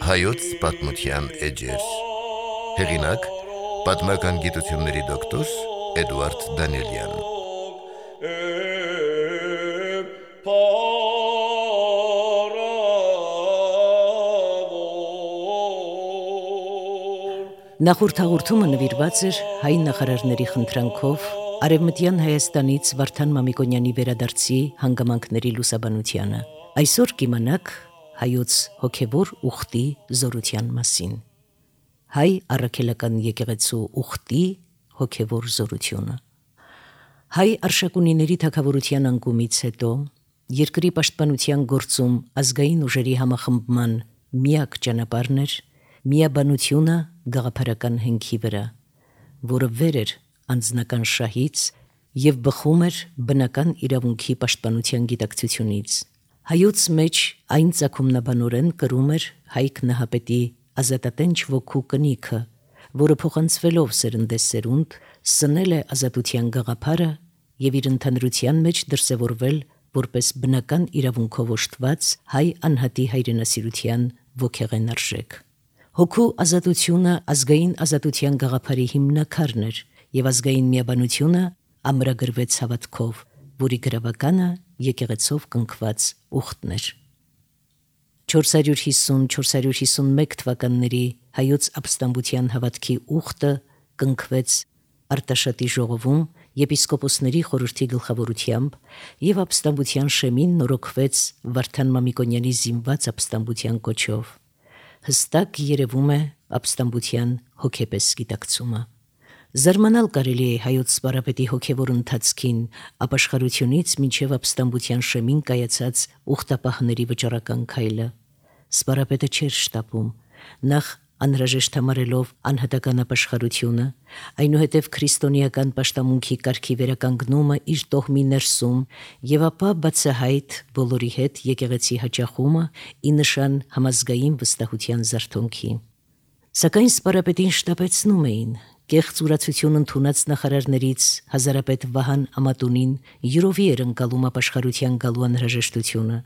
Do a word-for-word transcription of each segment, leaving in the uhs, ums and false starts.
Հայոց պատմության էջեր։ Հեղինակ՝ պատմական գիտությունների դոկտոր Էդուարդ Դանիելյան։ Նախորդ հաղորդումը նվիրված էր հայ նախարարների խնդրանքով Արևմտյան Հայաստանից Վարդան Մամիկոնյանի վերադարձի հանգամանքների լուսաբանությանը։ Այսօր կիմանաք հայոց հոգևոր ուխտի զորության մասին։ Հայ առաքելական եկեղեցու ուխտի հոգևոր զորությունը։ Հայ արշակունիների թագավորության անկումից հետո երկրի պաշտպանության գործում ազգային ուժերի համախմբման միակ ճանապարհն էր միաբանությունը գաղափարական հենքի վրա, որը վեր էր անձնական շահից և բխում էր բնական իրավունքի պաշտպանության գիտակցությունից։ Հայոց մեջ այն ծագումնաբանորեն կրում էր հայ քնահապետի ազատատենչ ոգու կնիքը, որը փոխանցվելով սերնդեսերունդ սնել է ազատության գաղափարը և իր ընդհանրության մեջ դրսևորվել որպես բնական իրավունքով օժտված հայ անհատի հայրենասիրության ոգեղեն արժեք։ Հոգու ազատությունը ազգային ազատության գաղափարի հիմնաքարն էր և ազգային միաբանությունը ամրագրվեց հավատքով, որի գրավականը եկեղեցով կնքված ուխտն էր։ չորս հարյուր հիսուն չորս հարյուր հիսունմեկ թվականների հայոց ապստամբության հավատքի ուխտը կնքվեց Արտաշատի ժողովում եպիսկոպոսների խորհրդի գլխավորությամբ և ապստամբության շեմին նորոգվեց Վարդան Մամիկոնյանի զինված ապստամբության կոչով։ Հստակ երևում է ապստամբության հոգեպես գիտակցումը։ Զարմանալ կարելի է հայոց սպարապետի հոգևոր ընթացքին ապաշխարությունից մինչև ապստամբության շեմին կայացած ուխտապահների վճռական քայլը։ Սպարապետը չէր շտապում, նախ անհրաժեշտ համարելով անհատական ապաշխարությունը, այնուհետև քրիստոնեական պաշտամունքի կարգի վերականգնումը իր տոհմի ներսում և ապա բացահայտ բոլորի հետ եկեղեցի հաճախումը ի նշան համազգային վստահության զարթոնքի։ Սակայն սպարապետին շտապեցնում էին կեղծ ուրացություն ընդունած նախարարներից հազարապետ Վահան Ամատունին յուրովի էր ընկալում ապաշխարության գալու անհրաժեշտությունը։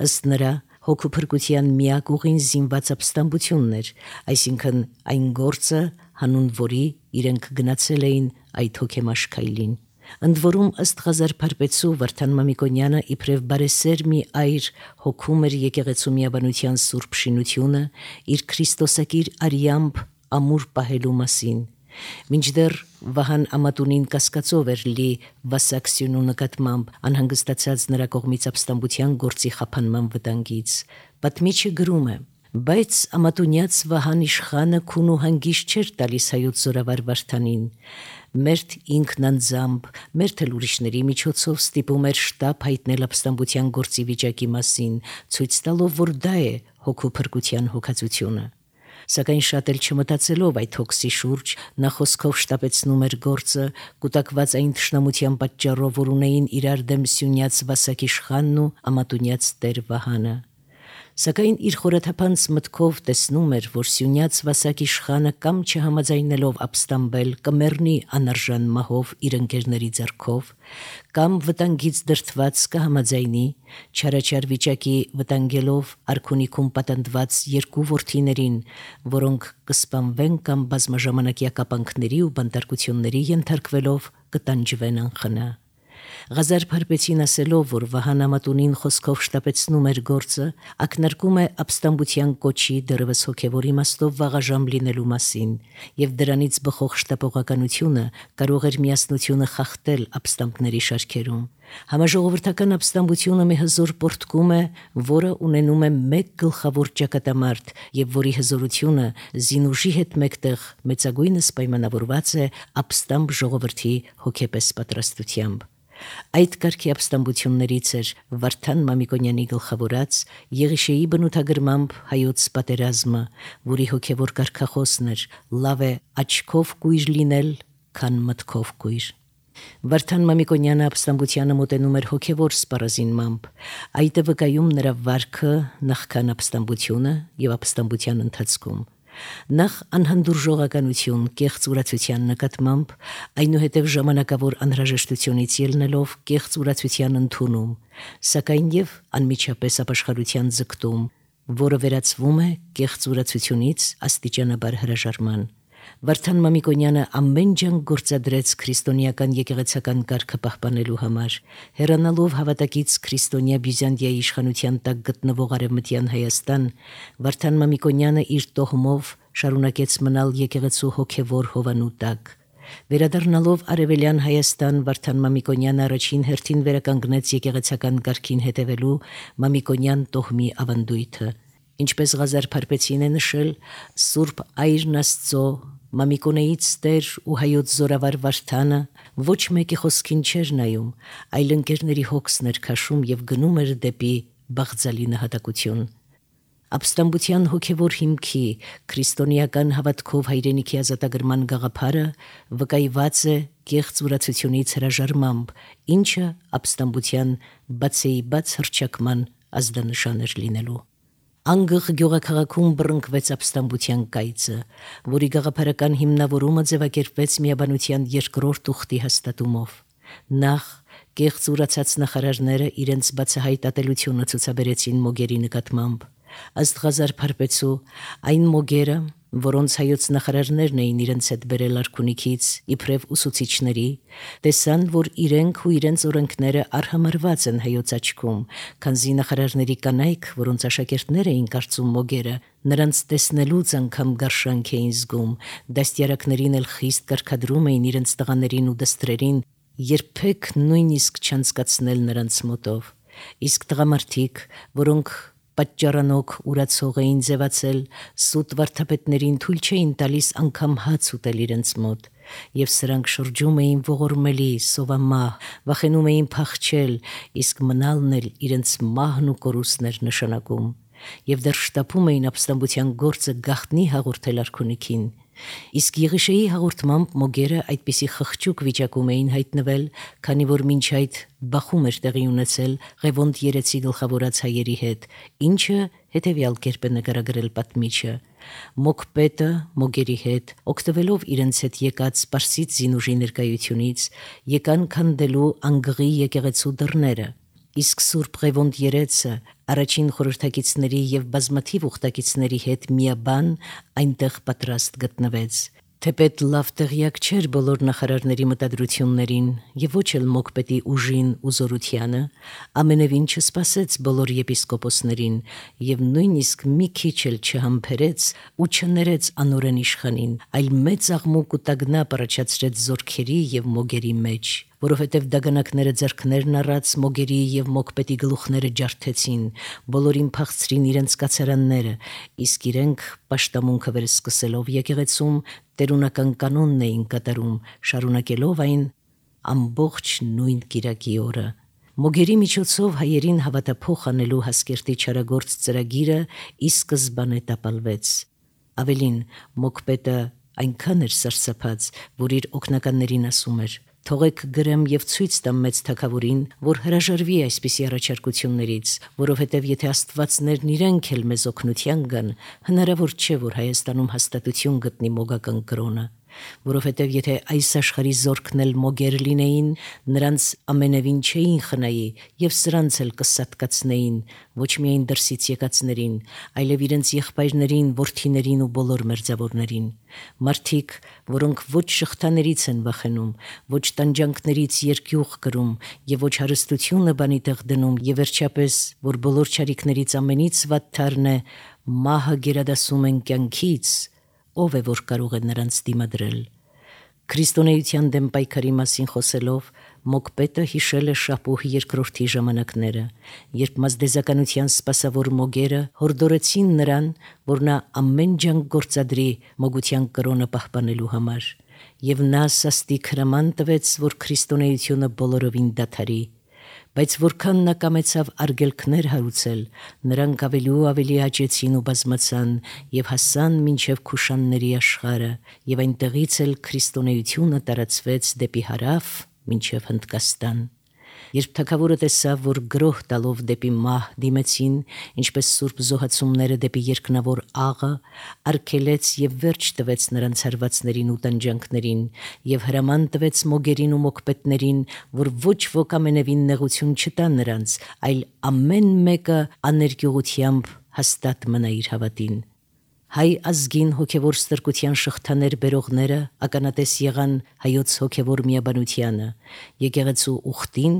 Ըստ նրա հոգու փրկության միակ ուղին զինված ապստամբությունն էր, այսինքն այն գործը, հանուն որի իրենք գնացել էին այդ հոգեմաշ քայլին։ Ընդ որում ըստ Ղազար Փարպեցու Վարդան Մամիկոնյանը իբրև բարեսեր մի այր հոգում էր եկեղեցու միաբանության սուրբ շինությունը իր քրիստոսակիր արյամբ ամուր պահելու մասին։ Մինչդեռ Վահան Ամատունին կասկածով էր լի Վասակ Սյունու նկատմամբ անհանգստացած նրա կողմից ապստամբության գործի խափանման վտանգից։ Պատմիչը գրում է. բայց Ամատունյաց Վահան իշխանը քուն ու հանգիստ չէր տալիս հայոց զորավար Վարդանին։ Մերթ ինքն անձամբ, մերթ էլ ուրիշների միջոցով ստիպում էր շտապ հայտնել ապստամբության գործի վիճակի մասին, ցույց տալով, որ դա է հոգու փրկության հոգացությունը։ Սակայն շատ էլ չմտածելով այդ հոգսի շուրջ, նա խոսքով շտապեցնում էր գործը, կուտակված այն թշնամության պատճառով, որ ունեին իրար դեմ Սյունյաց Վասակ իշխանն ու Ամատունյաց տեր Վահանը։ Սակայն իր խորաթափանց մտքով տեսնում էր, որ Սյունյաց Վասակ իշխանը կամ չհամաձայնելով ապստամբել կմեռնի անարժան մահով իր ընկերների ձեռքով, կամ վտանգից դրդված կհամաձայնի, չարաչար վիճակի վտանգելով արքունիքում պատանդված երկու որդիներին, որոնք կսպանվեն կամ բազմաժամանակյա կապանքների ու բանտարկությունների ենթարկվելով կտանջվեն անխնա։ Ղազար Փարպեցին ասելով, որ Վահան Ամատունին խոսքով շտապեցնում էր գործը, ակնարկում է ապստամբության կոչի դեռևս հոգևոր իմաստով վաղաժամ լինելու մասին, և դրանից բխող շտապողականությունը կարող էր միասնությունը խախտել ապստամբների շարքերում։ Համաժողովրդական ապստամբությունը մի հզոր պոռթկում է, որը ունենում է մեկ գլխավոր ճակատամարտ և որի հզորությունը զինուժի հետ մեկտեղ մեծագույնս պայմանավորված է ապստամբ ժողովրդի հոգեպես պատրաստությամբ։ Այդ կարգի ապստամբություններից էր Վարդան Մամիկոնյանի գլխավորած Եղիշեի բնութագրմամբ հայոց պատերազմը, որի հոգևոր կարգախոսն էր «Լավ է աչքով կույր լինել, քան մտքով կույր»։ Վարդան Մամիկոնյանը ապստամբությանը մոտենում էր հոգևոր սպառազինմամբ, այդ է վկայում նրա վարքը նախքան ապստամբությունը և ապստամբության ընթացքում։ Նախ անհանդուրժողականություն կեղծ ուրացության նկատմամբ, այնուհետև ժամանակավոր անհրաժեշտությունից ելնելով կեղծ ուրացության ընդունում, սակայն և անմիջապես ապաշխարության ձգտում, որը վերածվում է կեղծ ուրացությունից աստիճանաբար հրաժարման։ Վարդան Մամիկոնյանը ամեն ջանք գործադրեց քրիստոնեական եկեղեցական կարգը պահպանելու համար, հեռանալով հավատակից քրիստոնյա Բյուզանդիայի իշխանության տակ գտնվող Արևմտյան Հայաստան, Վարդան Մամիկոնյանը իր տոհմով շարունակեց մնալ եկեղեցու հոգևոր հովանու տակ։ Վերադառնալով Արևելյան Հայաստան, Վարդան Մամիկոնյանը առաջին հերթին վերականգնեց եկեղեցական կարգին հետևելու Մամիկոնյան տոհմի ավանդույթը։ Ինչպես Ղազար Փարպեցին է նշել, Սուրբ Այրն Աստծո, Մամիկոնեից Տեր ու հայոց զորավար Վարդանը ոչ մեկի խոսքին չէր նայում, այլ ընկերների հոգսն էր քաշում եւ գնում էր դեպի բաղձալի նահատակություն։ Ապստամբության հոգևոր հիմքի, քրիստոնեական հավատքով հայրենիքի ազատագրման գաղափարը վկայված է կեղծ ուրացությունից հրաժարմամբ, ինչը ապստամբության բացեի բաց հռչակման ազդանշան էր լինելու։ Անգղ գյուղաքաղաքում բռնկվեց ապստամբության կայծը, որի գաղափարական հիմնավորումը ձևակերպվեց միաբանության երկրորդ ուխտի հաստատումով։ Նախ կեղծ ուրացած նախարարները իրենց բացահայտ ատելությունը ցուցաբերեցին Մոգերի նկատմամբ։ Ըստ Ղազար Փարպեցու, այն Մոգերը, որոնց հայոց նախարարներն էին իրենց հետ բերել արքունիքից իբրև ուսուցիչների, տեսան, որ իրենք ու իրենց օրենքները արհամարված են հայոց աչքում, քանզի նախարարների կանայք, որոնց աշակերտներ էին կարծում Մոգերը, նրանց տեսնելուց անգամ գարշանք էին զգում, դաստիարակներին էլ խիստ կարգադրում էին իրենց տղաներին ու դստրերին երբեք նույնիսկ չանցկացնել նրանց մոտով։ Իսկ տղամարդիկ, որոնք պատճառանոք ուրացող էին ձևացել, սուտ վարդապետներին թույլ չէին տալիս անգամ հաց ուտել իրենց մոտ, եւ սրանք շրջում էին ողորմելի, սովամահ, վախենում էին փախչել, իսկ մնալն էլ իրենց մահն ու կորուստն էր նշանակում, եւ դեռ շտապում էին ապստամբության գործը գաղտնի հաղորդել արքունիքին։ Իսկ Եղիշեի հաղորդմամբ Մոգերը այդպիսի խղճուկ վիճակում էին հայտնվել, քանի որ մինչ այդ բախում էր տեղի ունեցել Ղևոնդ երեցի գլխավորած հայերի հետ, ինչը հետևյալ կերպ է նկարագրել պատմիչը. Մոգպետը Մոգերի հետ, օգտվելով իրենց հետ եկած Պարսից զինուժի ներկայությունից, եկան քանդելու անգղի եկեղեցու դռները, իսկ Սուրբ Ղևոնդ երեցը առաջին խորհրդակիցների եւ բազմաթիվ ուխտակիցների հետ միաբան այնտեղ պատրաստ գտնվեց։ Թեպետ լավ տեղյակ չէր բոլոր նախարարների մտադրություններին եւ ոչ էլ Մոգպետի ուժին ու զորությանը, ամենևին չսպասեց բոլոր եպիսկոպոսներին եւ նույնիսկ մի քիչ էլ չհամբերեց ու չներեց անօրեն իշխանին, այլ մեծ աղմուկ ու տագնապ առաջացրեց զորքերի եւ Մոգերի մեջ, որովհետև դագանակները ձեռքներն առած Մոգերի եւ Մոգպետի գլուխները ջարդեցին, բոլորին փախցրին իրենց կացարանները, իսկ իրենք պաշտամունքը վերսկսելով եկեղեցում տերունական կանոնն էին կատարում, շարունակելով այն ամբողջ նույն կիրակի օրը։ Մոգերի միջոցով հայերին հավատափոխ անելու Հասկերտի չարագործ ծրագիրը ի սկզբանե տապալվեց։ Ավելին, Մոգպետը այնքան էր սարսափած, որ իր օգնականներին ասում էր. «Թողեք գրեմ եւ ցույց տամ մեծ թագավորին, որ հրաժարվի այսպիսի առաջարկություններից, որովհետև եթե աստվածներն իրենք էլ մեզ օգնության գան, հնարավոր չէ, որ Հայաստանում հաստատություն գտնի մոգական կրոնը, որովհետև եթե այս աշխարհի զորքն էլ Մոգեր լինեին, նրանց ամենևին չէին խնայի եւ սրանց էլ կսատկացնեին, ոչ միայն դրսից եկածներին, այլև իրենց եղբայրներին, որդիներին ու բոլոր մերձավորներին։ Մարդիկ, որոնք ոչ շղթաներից են վախենում, ոչ տանջանքներից երկյուղ կրում եւ ոչ հարստությունը բանի տեղ դնում, եւ վերջապես, որ բոլոր չարիքներից ամենից վատթարն է, մահը գերադասում են կյանքից, ով է որ կարող է նրանց դիմադրել։ Քրիստոնեության դեմ պայքարի մասին խոսելով Մոգպետը հիշել է Շապուհ երկրորդի ժամանակները, երբ մազդեզականության սպասավոր Մոգերը հորդորեցին նրան, որ նա ամեն ջանք գործադրի մոգության կրոնը պահպանելու համար, եւ նա սաստիկ հրաման տվեց, որ քրիստոնեությունը բոլորովին դադարի, բայց որքան նա կամեցավ արգելքներ հարուցել, նրանք ավելի ու ավելի աճեցին ու բազմացան եւ հասան մինչեւ Քուշանների աշխարհը, եւ այնտեղից էլ քրիստոնեությունը տարածվեց դեպի հարավ մինչև Հնդկաստան։ Երբ թագավորը տեսավ, որ գրոհ տալով դեպի մահ դիմեցին, ինչպես սուրբ զոհացումները դեպի երկնավոր աղը, արգելեց եւ վերջ տվեց նրանց հարվածներին ու տանջանքներին եւ հրաման տվեց Մոգերին ու Մոգպետներին, որ ոչ ոք ամենևին նեղություն չտա նրանց, այլ ամեն մեկը աներկյուղությամբ հաստատ մնա իր հավատին։ Հայ ազգին հոգևոր ստրկության շղթաներ բերողները ականատես եղան հայոց հոգևոր միաբանությանը, եկեղեցու ուխտին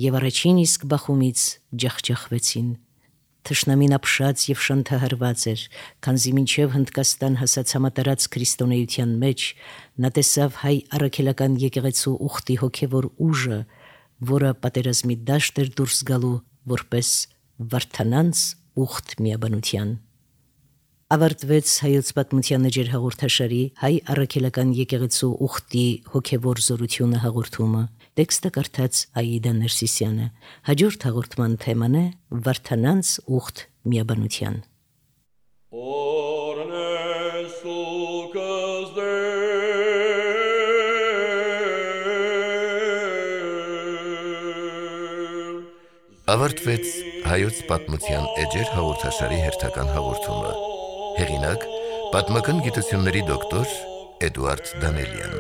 եւ առաջին իսկ բախումից ջախջախվեցին։ Թշնամին ապշած եւ շանթահարված էր, քանզի մինչեւ Հնդկաստան հասած համատարած քրիստոնեության մեջ նա տեսավ հայ առաքելական եկեղեցու ուխտի հոգևոր ուժը, որը պատերազմի դաշտ էր դուրս գալու որպես վարդանանց ուխտ միաբանության։ Ավարտվեց հայոց պատմության էջեր հաղորդաշարի հայ առաքելական եկեղեցու ուխտի հոգևոր զորությունը հաղորդումը։ Տեքստը կարդաց Աիդա Ներսիսյանը։ Հաջորդ հաղորդման թեման է վարդանանց ուխտ միաբանության։ Ավարտվեց հայոց պատմության էջեր հաղորդաշարի հերթական հաղորդումը։ Հեղինակ՝ պատմական գիտությունների դոկտոր Էդուարդ Դանելյան։